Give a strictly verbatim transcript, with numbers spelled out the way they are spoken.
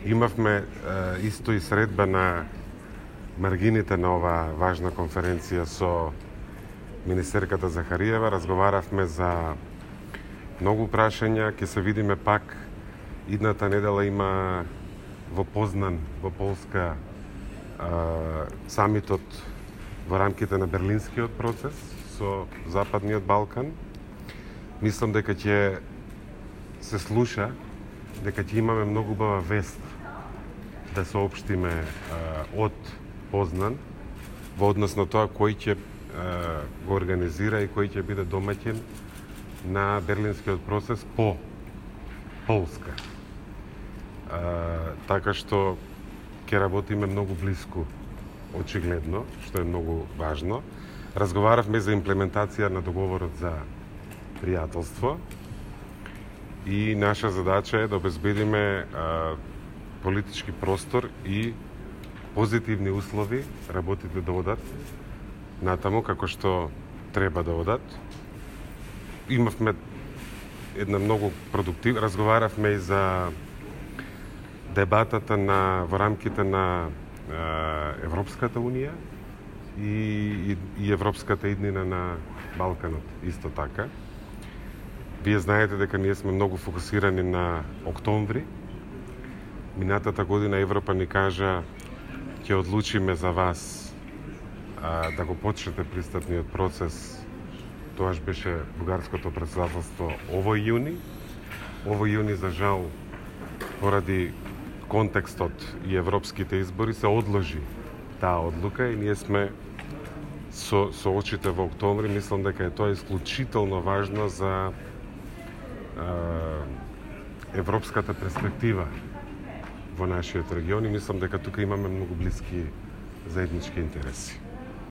Имавме исто и средба на маргините на оваа важна конференција со министерката Захариева. Разговаравме за многу прашања, ќе се видиме пак. Идната недела има во Познан, во Полска, самитот во рамките на Берлинскиот процес со Западниот Балкан. Мислам дека ќе се слуша, дека ќе имаме многу убава вест да соопштиме од Познан во однос на тоа кој ќе го организира и кој ќе биде домаќин на Берлинскиот процес по Полска. Така што ќе работиме многу блиску, очигледно, што е многу важно. Разговаравме за имплементација на договорот за пријателство и наша задача е да обезбедиме а, политички простор и позитивни услови работите да одат натаму како што треба да одат. Имавме една многу продуктив, разговаравме и за дебатата на во рамките на е, Европската унија и, и, и Европската иднина на Балканот исто така. Вие знаете дека ние сме многу фокусирани на октомври. Минатата година Европа ни кажа ќе одлучиме за вас а, да го почнете пристапниот процес. Тоаш беше бугарското претседателство овој јуни. Овој јуни, за жал, поради контекстот и европските избори се одложи таа одлука и ние сме со, со очите во октомври. Мислам дека е тоа исклучително важно за е, европската перспектива во нашиот регион и мислам дека тука имаме многу блиски заеднички интереси.